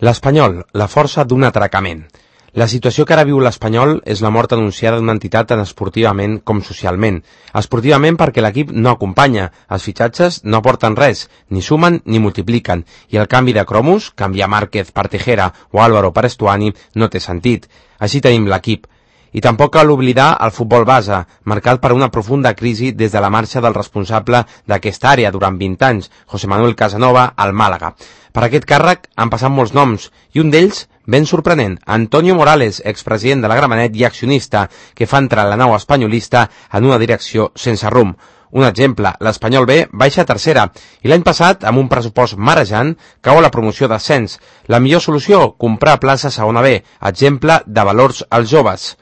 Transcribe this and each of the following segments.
L'Espanyol, la força d'un atracament. La situació que ara viu l'Espanyol és la mort anunciada d'una entitat tant esportivament com socialment. Esportivament perquè l'equip no acompanya, els fitxatges no aporten res, ni sumen ni multipliquen, i el canvi de cromos, canviar Márquez per Tejera o Álvaro per Estuani, no té sentit. Així tenim l'equip. I tampoc cal oblidar el futbol base, marcat per una profunda crisi des de la marxa del responsable d'aquesta àrea durant 20 anys, José Manuel Casanova, al Màlaga. Per aquest càrrec han passat molts noms, i un d'ells, ben sorprenent, Antonio Morales, expresident de la Gramenet i accionista, que fa entrar la nau espanyolista en una direcció sense rumb. Un exemple, l'Espanyol B baixa a tercera i l'any passat, amb un pressupost marejant, cau a la promoció d'ascens. La millor solució, comprar plaça segona B, exemple de valors als joves.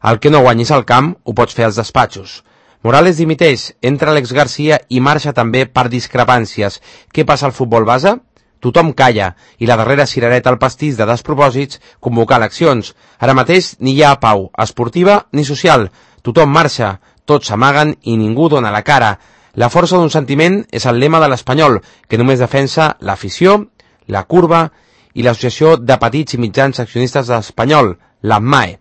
El que no guanyis al camp ho pots fer als despatxos. Morales dimiteix, entra Alex García i marxa també per discrepàncies. Què passa al futbol base? Tothom calla, i la darrera cirereta al pastís de despropòsits, convocar eleccions. Ara mateix ni hi ha pau, esportiva ni social. Tothom marxa, tots s'amaguen i ningú dona la cara. La força d'un sentiment és el lema de l'Espanyol, que només defensa l'afició, la curva i l'associació de petits i mitjans accionistes de l'Espanyol, l'AMMAE.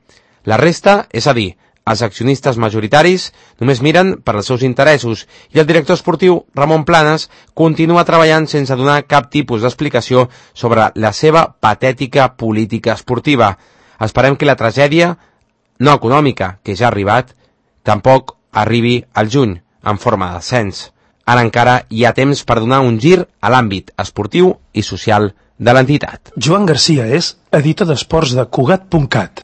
La resta, és a dir, els accionistes majoritaris només miren per als seus interessos i el director esportiu, Ramon Planes, continua treballant sense donar cap tipus d'explicació sobre la seva patètica política esportiva. Esperem que la tragèdia, no econòmica, que ja ha arribat, tampoc arribi al juny, en forma de descens. Ara encara hi ha temps per donar un gir a l'àmbit esportiu i social de l'entitat. Joan Garcia és editor d'esports de Cugat.cat.